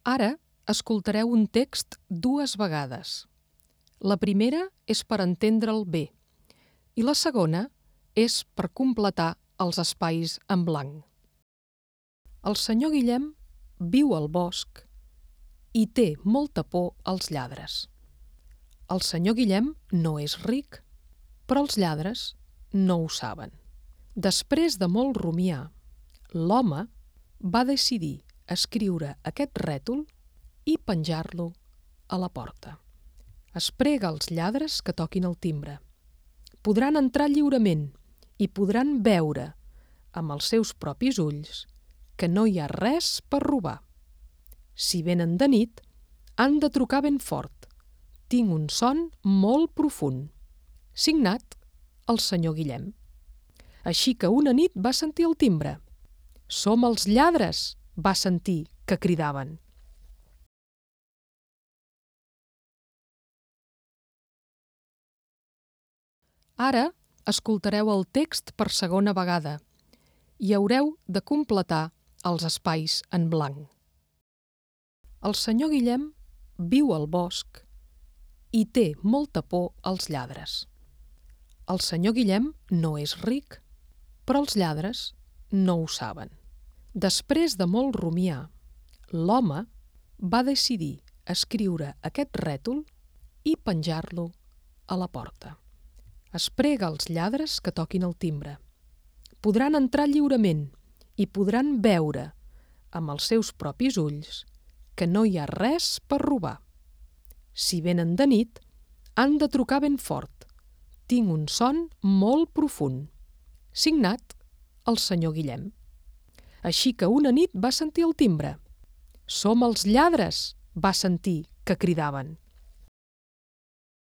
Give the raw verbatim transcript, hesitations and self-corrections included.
Ara escoltareu un text dues vegades. La primera és per entendre'l bé i la segona és per completar els espais en blanc. El senyor Guillem viu al bosc i té molta por als lladres. El senyor Guillem no és ric, però els lladres no ho saben. Després de molt rumiar, l'home va decidir escriure aquest rètol i penjar-lo a la porta. Es prega als lladres que toquin el timbre. Podran entrar lliurement i podran veure amb els seus propis ulls que no hi ha res per robar. Si venen de nit, han de trucar ben fort. Tinc un son molt profund. Signat, el senyor Guillem. Així que una nit va sentir el timbre. Som els lladres, va sentir que cridaven. Ara escoltareu el text per segona vegada i haureu de completar els espais en blanc. El senyor Guillem viu al bosc i té molta por als lladres. El senyor Guillem no és ric, però els lladres no ho saben. Després de molt rumiar, l'home va decidir escriure aquest rètol i penjar-lo a la porta. Es prega als lladres que toquin el timbre. Podran entrar lliurement i podran veure amb els seus propis ulls que no hi ha res per robar. Si venen de nit, han de trucar ben fort. Tinc un son molt profund. Signat, el senyor Guillem. Així que una nit va sentir el timbre. Som els lladres, va sentir que cridaven.